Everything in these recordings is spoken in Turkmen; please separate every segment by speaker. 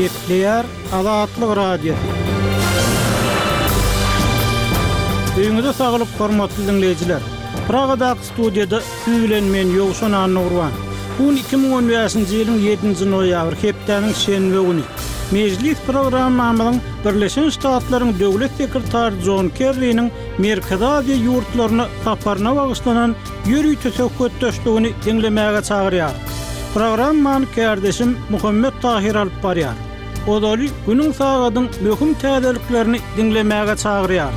Speaker 1: Gepleýär Azatlyk Radiosy. Öýüňize saglyk hormatly diňleýjiler. Pragadaky studiýada siz bilen men Ýowşan Annagurban. Bu gün 2015-nji ýylyň 7-nji noýabry hepdäniň şenbe güni. Mejlis programmamyzyň Birleşen Ştatlaryň Döwlet sekretary Jon Kerriniň Merkezi Aziýa ýurtlaryna saparyna bagyşlanan ýörite söhbetdeşligini diňlemäge çagyrýar. Programmany kärdeşim Muhammet Tahyr alyp barýar. Ozaly günüň sagadyň möhüm täzeliklerini diňlemäge çagyrýar.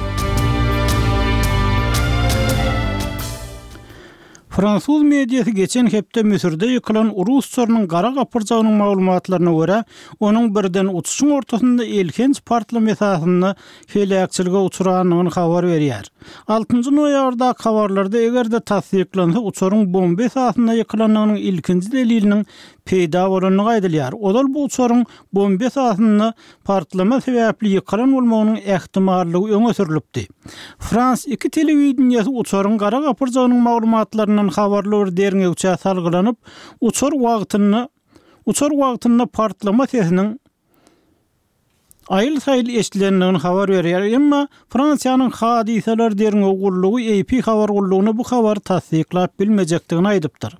Speaker 1: Fransuz mediasy geçen hepde Müsürde ýykylan rus uçarynyň gara gapyrjagynyň maglumatlaryna görä, onuň birden uçuşyň ortasynda elhenç partlama esasynda heläkçilige uçrandygyny habar berýär. Altynjy noýabrdaky habarlarda eger-de tassyklansa uçaryň bomba esasynda ýykylandygynyň ilkinji deliliniň peýda bolandygy aýdylýar. Ozal bu uçaryň bomba esasynda partlama sebäpli ýykylan bolmagynyň ähtimallygy öňe sürlüpdi. Frans 2 telewideniýesi uçaryň gara gapyrjagynyň maglumatlaryndan habarly bir derňewçä salgylanyp, uçar wagtynda uçar wagtynda partlama sesiniň aýyl-saýyl eşidilendigini habar berýär. Emma Fransiýanyň Hadysalar derňew gullugy AP habar gullugyna bu habary tassyklap bilmejekdigini aýdypdyr.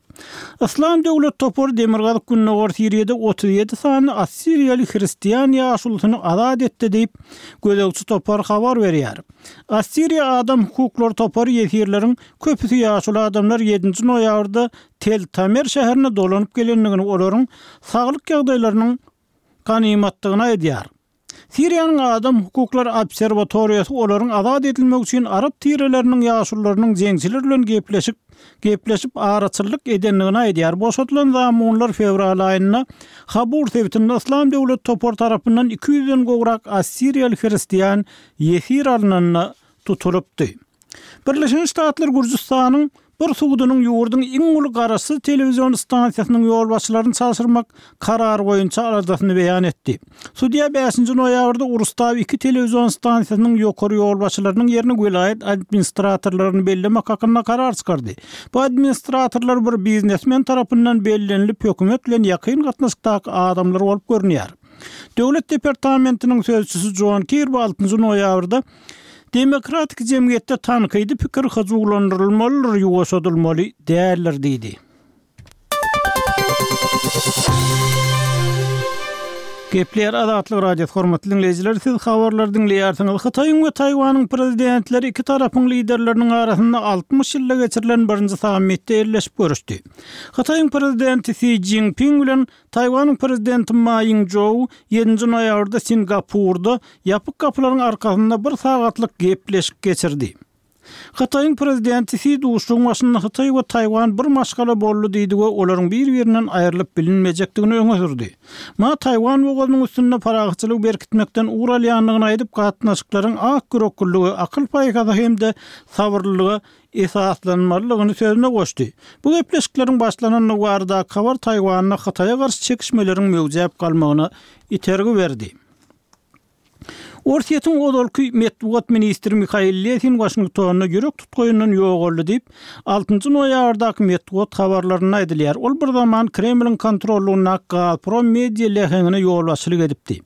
Speaker 1: Yslam döwlet topary demirgazyk-gündogar Siriýada 37 sany assiriýaly hristian ýaşulusyny azat etdi diýip, gözegçi topar habar berýär. Assiriýa adam hukuklary topary ýesirleriň köpüsi ýaşuly adamlar ýedinji noýabrda Tel Tamer şäherine dolanyp gelendigini, olaryň saglyk ýagdaýlarynyň ganymatdygyny aýdýar. Siriýanyň Adam hukuklary obserwatoriýasy olaryň azat edilmegi üçin arap tireleriniň ýaşulularynyň jeňçiler bilen gepleşik gepleşip araçyllyk edendigini aýdýar. Boşadylan zamunlar fewral aýynda Habur sebitinde Yslam döwleti topary tarapyndan 200-den gowrak assiriýaly hristian ýesir alnanda tutulypdy. Birleşen Ştatlar Gürjüstanyň bir sudunyň ýurduň iň uly garaşsyz telewizion stansiýasynyň ýolbaşçylaryny çalşyrmak karary boýunça aladasyny beýan etdi. Sudýa bäşinji noýabrda Urustaw 2 telewizion stansiýasynyň ýokary ýolbaşçylarynyň ýerine welaýat administratorlaryny bellemek hakynda karar çykardy. Bu administratorlar bir biznesmen tarapyndan bellenilip hökümet bilen ýakyn gatnaşykdaky adamlar bolup görünýär. Döwlet departamentiniň sözçüsi Jon Kirbi altynjy noýabrda Demokratik jemgyýetde tankydy pikir hyjuwlandyrylmalydyr, ýuwaşadylmaly däldir diýdi. Gepleýär Azatlyk Radiosy, hormatly diňleýjiler, siz habarlary diňleýärsiňiz. Hytaýyň we Taýwanyň prezidentleri iki tarapyň liderleriniň arasynda 60 ýylda geçirilen birinji sammitde elleşip görüşdi. Hytaýyň prezidenti Si Szinpin bilen Taýwanyň prezidenti Ma Ýing-jou ýedinji noýabrda Singapurda ýapyk gapylaryň arkasynda bir sagatlyk gepleşik geçirdi. Hytaýyň prezidenti Si duşuşygyň başynda Hytaý we Taýwan bir maşgala boldy diýdi we olaryň bir-birinden aýrylyp bilinmejekdigini öňe sürdi. Ma Taýwan bogazynyň üstünde parahatçylygy berkitmekden ugur alýandygyny aýdyp, gatnaşyklaryň akýüreklilige, akyl-paýhasa hem-de sabyrlylyga esaslanmalydygyny sözüne goşdy. Bu gepleşikleriň başlanandygy baradaky habar Taýwanda Hytaýa garşy çekişmeleriň möwjäp galmagyna itergi berdi. Orsýetiň ozalky metbugat ministri Mihail Lesin Waşingtonda ýürek tutgaýyndan ýogaldy diýip, altynjy noýabrdaky metbugat habarlarynda aýdylýar. Ol bir zaman Kremliň kontrollygyndaky Gazprom media läheňine ýolbaşçylyk edipdi.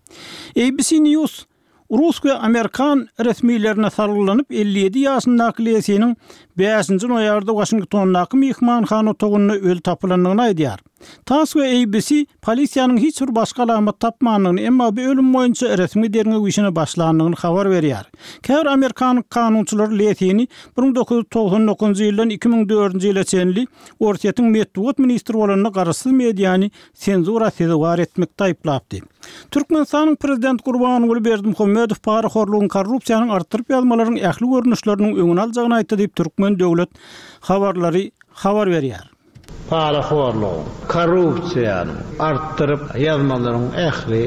Speaker 1: ABC News Rus we amerikan resmilerine salgylanyp, 57 ýaşyndaky Lesiniň bäşinji noýabrda Waşingtondaky myhmanhana otagynda öli tapylandygyny aýdýar. Tass we ABC polisiýanyň hiç bir başga alamat tapmandygyny, emma bu ölüm boýunça resmi derňew işine başlandygyny habar berýär. Käbir amerikan kanunçylary Lesini 1999-njy ýyldan 2004-nji ýyla çenli Orsýetiň metbugat ministri bolanda garaşsyz mediany senzura sezewar etmekde aýyplapdy. Türkmenistanyň Prezidenti Gurbanguly Berdimuhamedow parahorlugyň, korrupsiýanyň artdyryp ýazmalaryň ähli görnüşleriniň öňüni aljagyny aýtdy diýip, türkmen döwlet habarlary habar berýär.
Speaker 2: Parahorlugyň, korrupsiýanyň, artdyryp ýazmalaryň ähli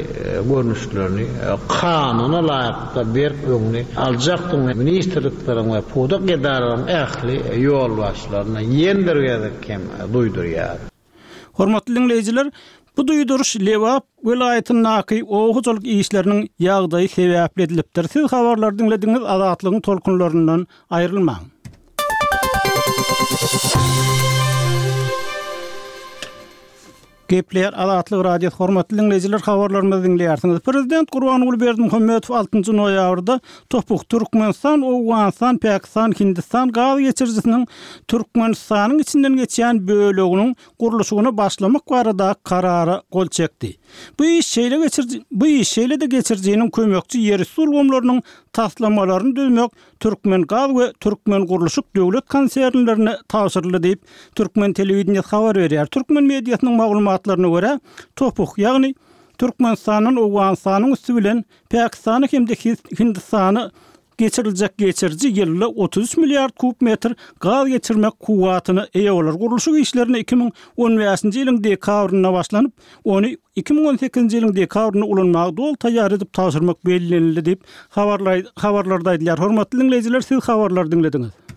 Speaker 2: görnüşlerini kanuna laýyklykda berk öňüni aljakdygyny ministrlikleriň we pudak edaralaryň ähli ýolbaşçylaryna ýene bir gezek hem duýdurýar.
Speaker 1: Hormatly diňleýjiler, bu duýduryş Lebap welaýatyndaky oba hojalyk işleriniň ýagdaýy sebäpli edilipdir. Siz habarlary diňlediňiz, Azatlygyň tolkunlaryndan aýrylmaň. Gepleýär Azatlyk Radiosy hormatly diňleýjiler habarlarymyzy diňleýärsiňiz. Prezident Gurbanguly Berdimuhamedow altynjy noýabrda TOPH, Türkmenistan, Owganystan, Pakistan, Hindistan gaz geçirijisiniň Türkmenistanyň içinden geçýän böleginiň gurluşygyna başlamak barada karara gol çekdi. Bu iş şeýle geçiriji bu iş şeýle-de geçirijiniň kömekçi ýerüsti ulgamlarynyň taslamalaryny düzmek Türkmengaz we Türkmengurluşyk döwlet konsernlerine tabşyryldy diýip, türkmen telewideniýesi habar berýär. Türkmen mediasynyň maglumatlaryna görä, TOPH, ýagny Türkmenistandan Owganystanyň üsti bilen Pakistana hem-de Hindistana geçiriljek geçiriji ýylda 33 milliard kub metr gaz geçirmek kuwwatyna eýe bolar. Gurluşyk işlerine 2015-nji ýylyň dekabrynda başlanyp, ony 2018-nji ýylyň dekabrynda ulanmaga doly taýýar edip tabşyrmak bellenildi diýip, habarlarda aýdylýar. Hormatly diňleýjiler, siz habarlary diňlediňiz.